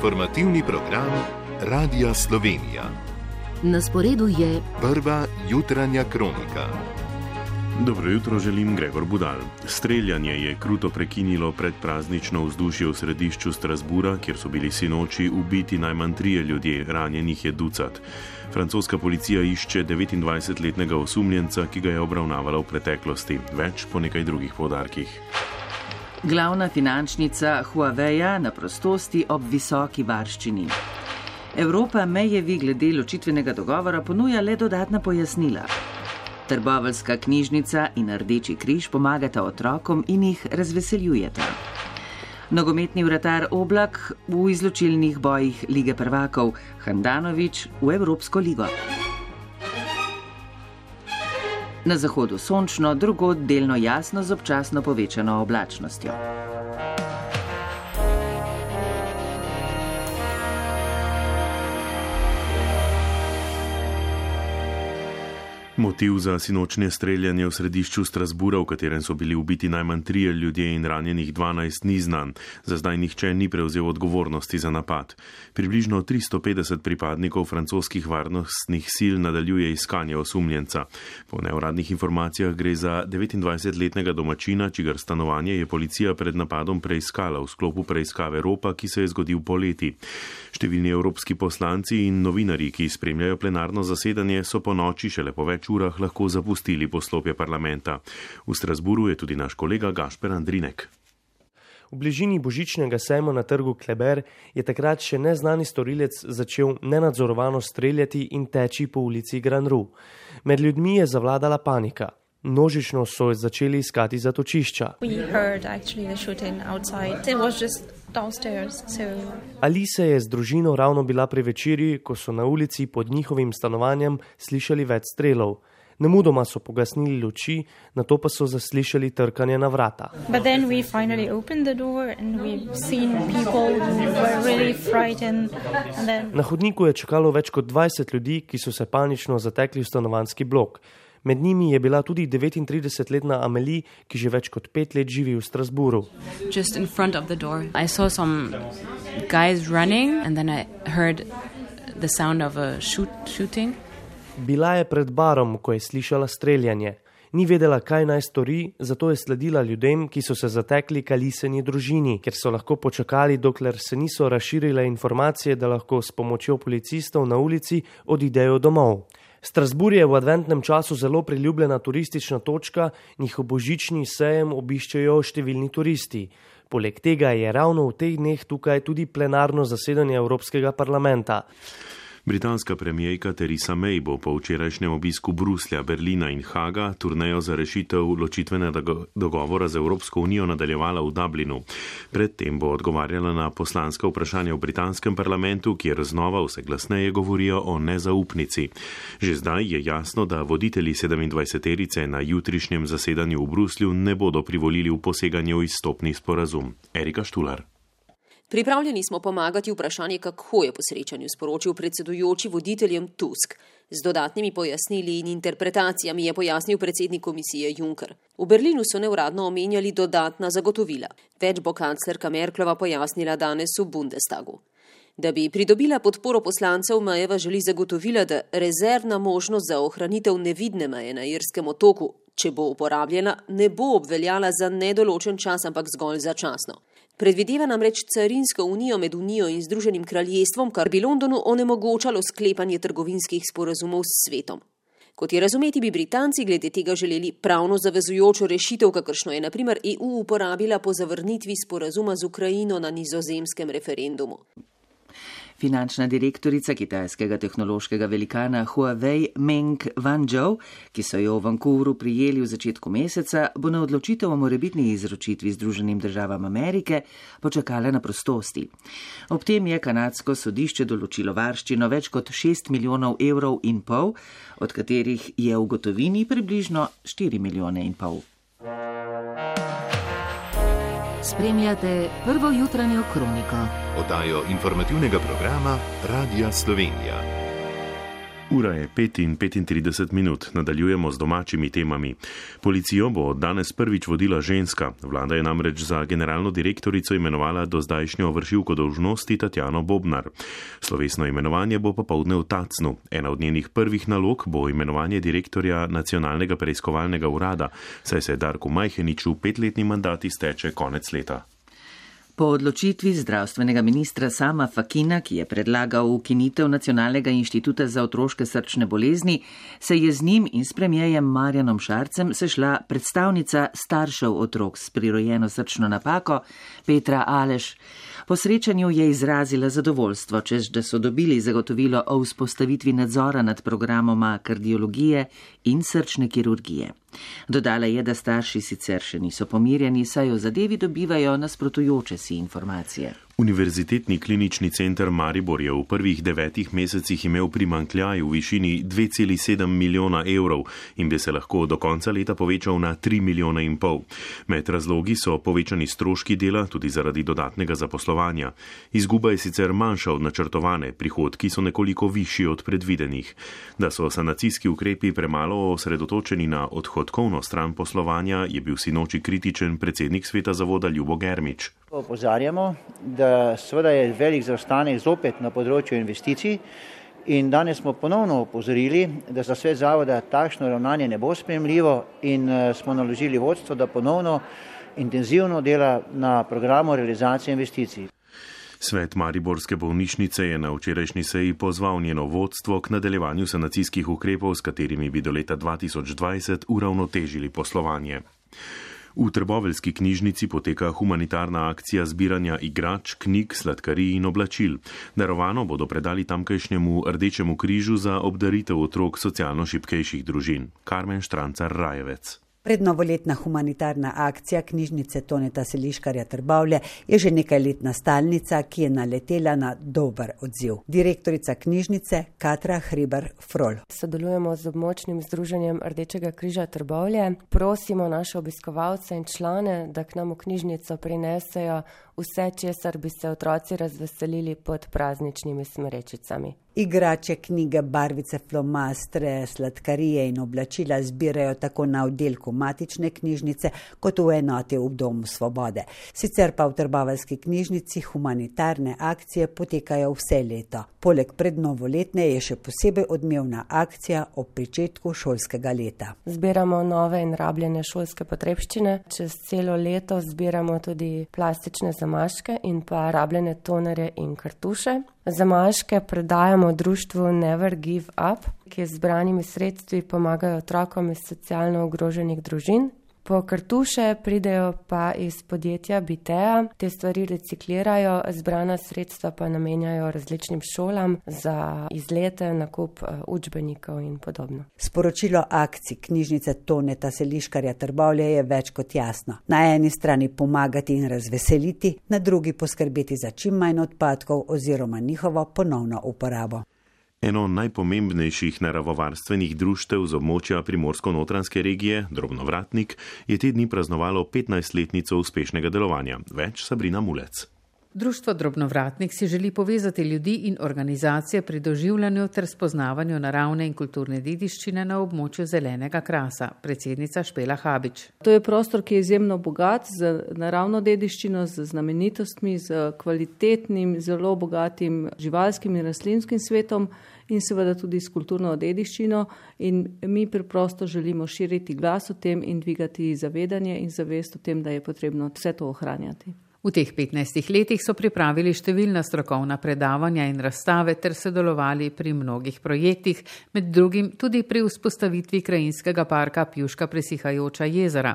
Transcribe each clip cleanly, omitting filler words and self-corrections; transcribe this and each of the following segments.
informativni program Radia Slovenija. Na sporedu je prva jutranja kronika. Dobro jutro, želim Gregor Budal. Streljanje je kruto prekinilo predpraznično vzdušje v središču Strasbura, kjer so bili sinoči ubiti najmanj 3 ljudje, ranjenih je ducat. Francoska policija išče 29-letnega osumljenca, ki ga je obravnavala v preteklosti. Več po nekaj drugih poudarkih. Glavna finančnica Huaweia na prostosti ob visoki varščini. Evropa Mayevi glede ločitvenega dogovora ponuja le dodatna pojasnila. Trboveljska knjižnica in Rdeči križ pomagata otrokom in jih razveseljujeta. Nogometni vratar Oblak v izločilnih bojih Lige prvakov, Handanović v Evropsko ligo. Na zahodu sončno, drugod delno jasno z občasno povečano oblačnostjo. Motiv za sinočnje streljanje v središču Strasbura, v katerem so bili ubiti najmanj 3 ljudje in ranjenih 12, ni znan. Za zdaj nihče ni prevzel odgovornosti za napad. Približno 350 pripadnikov francoskih varnostnih sil nadaljuje iskanje osumljenca. Po neuradnih informacijah gre za 29-letnega domačina, čigar stanovanje je policija pred napadom preiskala v sklopu preiskave ropa, ki se je zgodil poleti. Številni evropski poslanci in novinarji, ki spremljajo plenarno zasedanje, so po noči šele po več urah lahko zapustili poslopje parlamenta. V Strasburu je tudi naš kolega Gašper Andrinek. V bližini božičnega sejma na trgu Kleber je takrat še neznani storilec začel nenadzorovano streljati in teči po ulici Grand Rue. Med ljudmi je zavladala panika. Množično so začeli iskati zatočišča. Alisa je z družino ravno bila pri večerji, ko so na ulici pod njihovim stanovanjem slišali več strelov. Nemudoma so pogasnili luči, nato pa so zaslišali trkanje na vrata. Na hodniku je čakalo več kot 20 ljudi, ki so se panično zatekli v stanovanjski blok. Med njimi je bila tudi 39-letna Amélie, ki že več kot 5 let živi v Strasburu. Just in front of the door. I saw some guys running and then I heard the sound of a shooting. Bila je pred barom, ko je slišala streljanje. Ni vedela, kaj naj stori, zato je sledila ljudem, ki so se zatekli k Alisini družini, ker so lahko počakali, dokler se niso razširile informacije, da lahko s pomočjo policistov na ulici odidejo domov. Strasbourg je v adventnem času zelo priljubljena turistična točka, njihov božični sejem obiščejo številni turisti. Poleg tega je ravno v teh dneh tukaj tudi plenarno zasedanje Evropskega parlamenta. Britanska premijerka Theresa May bo po včerajšnjem obisku Bruslja, Berlina in Haga turnejo za rešitev ločitvenega dogovora z Evropsko unijo nadaljevala v Dublinu. Predtem bo odgovarjala na poslanska vprašanja v britanskem parlamentu, kjer znova vse glasneje govorijo o nezaupnici. Že zdaj je jasno, da voditelji 27-terice na jutrišnjem zasedanju v Bruslju ne bodo privolili v poseganje v izstopni sporazum. Erika Štular. Pripravljeni smo pomagati vprašanje, kako je po srečanju sporočil predsedujoči voditeljem Tusk. Z dodatnimi pojasnili in interpretacijami je pojasnil predsednik komisije Juncker. V Berlinu so neuradno omenjali dodatna zagotovila. Več bo kanclerka Merklova pojasnila danes v Bundestagu. Da bi pridobila podporo poslancev, Mayeva želi zagotovila, da rezervna možnost za ohranitev nevidne meje na Irskem otoku, če bo uporabljena, ne bo obveljala za nedoločen čas, ampak zgolj začasno. Predvideva namreč carinsko unijo med Unijo in Združenim kraljestvom, kar bi Londonu onemogočalo sklepanje trgovinskih sporazumov s svetom. Kot je razumeti, bi Britanci glede tega želeli pravno zavezujočo rešitev, kakršno je na primer EU uporabila po zavrnitvi sporazuma z Ukrajino na nizozemskem referendumu. Finančna direktorica kitajskega tehnološkega velikana Huawei Meng Wanzhou, ki so jo v Vancouveru prijeli v začetku meseca, bo na odločitev o morebitni izročitvi Združenim državam Amerike počakala na prostosti. Ob tem je kanadsko sodišče določilo varščino več kot 6,5 milijona evrov, od katerih je v gotovini približno 4,5 milijone. Spremljate prvo jutranjo kroniko. Oddajo informativnega programa Radia Slovenija. Ura je 5:35, nadaljujemo z domačimi temami. Policijo bo danes prvič vodila ženska. Vlada je namreč za generalno direktorico imenovala dozdajšnjo vršilko dolžnosti Tatjano Bobnar. Slovesno imenovanje bo popoldne v Tacnu. Ena od njenih prvih nalog bo imenovanje direktorja Nacionalnega preiskovalnega urada, saj se Darku Majheniču 5-letni mandat izteče konec leta. Po odločitvi zdravstvenega ministra Sama Fakina, ki je predlagal ukinitev Nacionalnega inštituta za otroške srčne bolezni, se je z njim in s premierjem Marjanom Šarcem sešla predstavnica staršev otrok s prirojeno srčno napako Petra Aleš. Po srečanju je izrazila zadovoljstvo, češ da so dobili zagotovilo o vzpostavitvi nadzora nad programoma kardiologije in srčne kirurgije. Dodala je, da starši sicer še niso pomirjeni, saj o zadevi dobivajo nasprotujoče si informacije. Univerzitetni klinični center Maribor je v prvih 9 mesecih imel primanjkljaj v višini 2,7 milijona evrov in bi se lahko do konca leta povečal na 3,5 milijona. Med razlogi so povečani stroški dela, tudi zaradi dodatnega zaposlovanja. Izguba je sicer manjša od načrtovane, prihodki so nekoliko višji od predvidenih. Da so sanacijski ukrepi premalo osredotočeni na odhodkovno stran poslovanja, je bil sinoči kritičen predsednik sveta zavoda Ljubo Germič. Opozarjamo, da seveda je velik zaostanek zopet na področju investicij in danes smo ponovno opozorili, da za svet zavoda takšno ravnanje ne bo sprejemljivo in smo naložili vodstvo, da ponovno intenzivno dela na programu realizacije investicij. Svet Mariborske bolnišnice je na včerajšnji seji pozval njeno vodstvo k nadaljevanju sanacijskih ukrepov, s katerimi bi do leta 2020 uravnotežili poslovanje. V trboveljski knjižnici poteka humanitarna akcija zbiranja igrač, knjig, sladkarij in oblačil. Darovano bodo predali tamkajšnjemu Rdečemu križu za obdaritev otrok socialno šibkejših družin. Karmen Štrancar-Rajevec. Prednovoletna humanitarna akcija knjižnice Toneta Seliškarja Trbovlje je že nekajletna stalnica, ki je naletela na dober odziv. Direktorica knjižnice Katra Hribar-Frol. Sodelujemo z območnim združenjem Rdečega križa Trbovlje. Prosimo naše obiskovalce in člane, da k nam v knjižnico prinesejo vse, česar bi se otroci razveselili pod prazničnimi smrečicami. Igrače, knjige, barvice, flomastre, sladkarije in oblačila zbirajo tako na oddelku matične knjižnice kot v enoti v Domu Svobode. Sicer pa v trboveljski knjižnici humanitarne akcije potekajo vse leto. Poleg prednovoletne je še posebej odmevna akcija ob pričetku šolskega leta. Zbiramo nove in rabljene šolske potrebščine. Čez celo leto zbiramo tudi plastične zamaške in pa rabljene tonerje in kartuše. Zamaške predajamo društvu Never Give Up, ki z zbranimi sredstvi pomagajo otrokom iz socialno ogroženih družin. Po kartuše pridejo pa iz podjetja Bitea, te stvari reciklirajo, zbrana sredstva pa namenjajo različnim šolam za izlete, nakup učbenikov in podobno. Sporočilo akcij knjižnice Toneta Seliškarja Trbovlje je več kot jasno. Na eni strani pomagati in razveseliti, na drugi poskrbeti za čim manj odpadkov oziroma njihovo ponovno uporabo. Eno najpomembnejših naravovarstvenih društev z območja Primorsko-notranjske regije, Drobnovratnik, je te dni praznovalo 15-letnico uspešnega delovanja. Več Sabrina Mulec. Društvo Drobnovratnik si želi povezati ljudi in organizacije pri doživljanju ter spoznavanju naravne in kulturne dediščine na območju zelenega krasa, predsednica Špela Habič. To je prostor, ki je izjemno bogat z naravno dediščino, z znamenitostmi, z kvalitetnim, zelo bogatim živalskim in rastlinskim svetom in seveda tudi s kulturno dediščino, in mi preprosto želimo širiti glas o tem in dvigati zavedanje in zavest o tem, da je potrebno vse to ohranjati. V teh 15 letih so pripravili številna strokovna predavanja in razstave ter sodelovali pri mnogih projektih, med drugim tudi pri vzpostavitvi krajinskega parka Pjuška presihajoča jezera.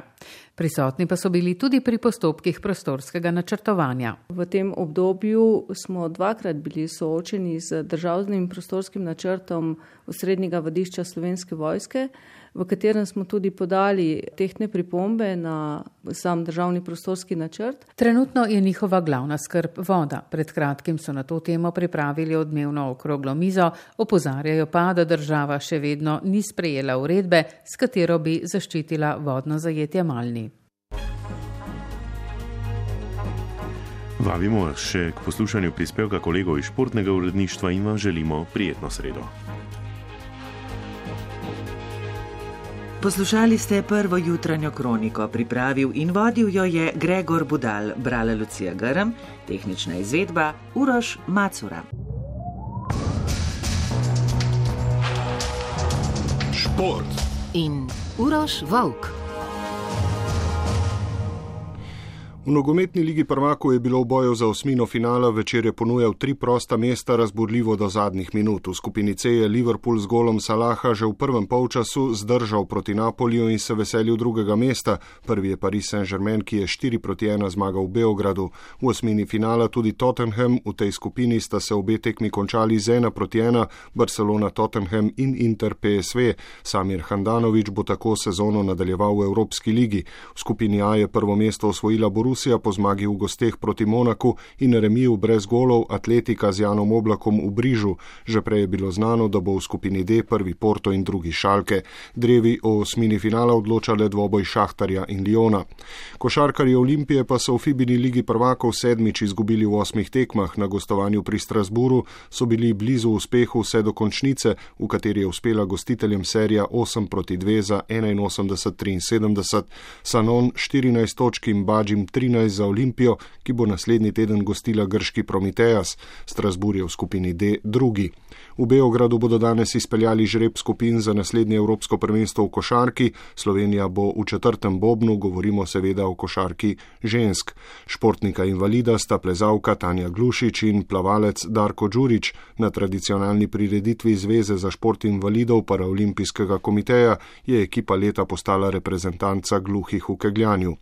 Prisotni pa so bili tudi pri postopkih prostorskega načrtovanja. V tem obdobju smo 2-krat bili soočeni z državnim prostorskim načrtom osrednjega vadišča Slovenske vojske, v katerem smo tudi podali tehtne pripombe na sam državni prostorski načrt. Trenutno je njihova glavna skrb voda. Pred kratkim so na to temo pripravili odmevno okroglo mizo, opozarjajo pa, da država še vedno ni sprejela uredbe, s katero bi zaščitila vodno zajetje Malni. Vabimo še k poslušanju prispevka kolegov iz športnega uredništva in vam želimo prijetno sredo. Poslušali ste prvo jutranjo kroniko, pripravil in vodil jo je Gregor Budal, brala Lucija Grm, tehnična izvedba Uroš Macura. Šport in Uroš Volk. V nogometni ligi prvakov je bilo v boju za osmino finala, večer je ponujal 3 prosta mesta, razburljivo do zadnjih minut. V skupini C je Liverpool z golom Salaha že v prvem polčasu zdržal proti Napoliju in se veselil drugega mesta. Prvi je Paris Saint-Germain, ki je 4-1 zmagal v Beogradu. V osmini finala tudi Tottenham, v tej skupini sta se obe tekmi končali z 1-1, Barcelona Tottenham in Inter PSV. Samir Handanović bo tako sezono nadaljeval v Evropski ligi. V skupini A je prvo mesto osvojila Borussia po zmagi v gosteh proti Monaku in remiju brez golov Atletika z Janom Oblakom v Brižu. Že prej je bilo znano, da bo v skupini D prvi Porto in drugi Schalke. Drevi o osmini finala odločale dvoboj Šahtarja in Liona. Košarkarji Olimpije pa so v FIBA ligi prvakov 7. izgubili v 8 tekmah. Na gostovanju pri Strasburu so bili blizu uspehu vse do končnice, v kateri je uspela gostiteljem serija 8-2 za 81-73. Sanon 14 točk in Badžim 13 za Olimpijo, ki bo naslednji teden gostila grški Prometeas. Strasbourg je v skupini D drugi. V Beogradu bodo danes izpeljali žreb skupin za naslednje evropsko prvenstvo v košarki. Slovenija bo v 4. bobnu, govorimo seveda o košarki žensk. Športnika invalida sta plezalka Tanja Glušič in plavalec Darko Đurić. Na tradicionalni prireditvi Zveze za šport invalidov Paraolimpijskega komiteja je ekipa leta postala reprezentanca gluhih v kegljanju.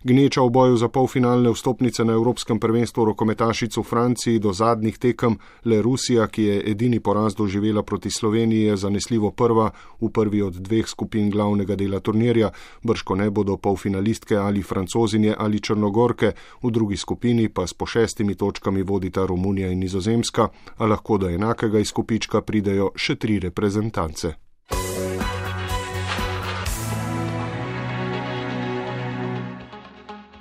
Gneča v boju za polfinalne vstopnice na evropskem prvenstvu rokometašic v Franciji do zadnjih tekem, le Rusija, ki je edini poraz doživela proti Sloveniji, je zanesljivo prva v prvi od 2 skupin glavnega dela turnirja. Bržkone bodo polfinalistke ali Francozinje ali Črnogorke, v drugi skupini pa s po 6 točkami vodita Romunija in Nizozemska, a lahko do enakega izkupička pridejo še 3 reprezentance.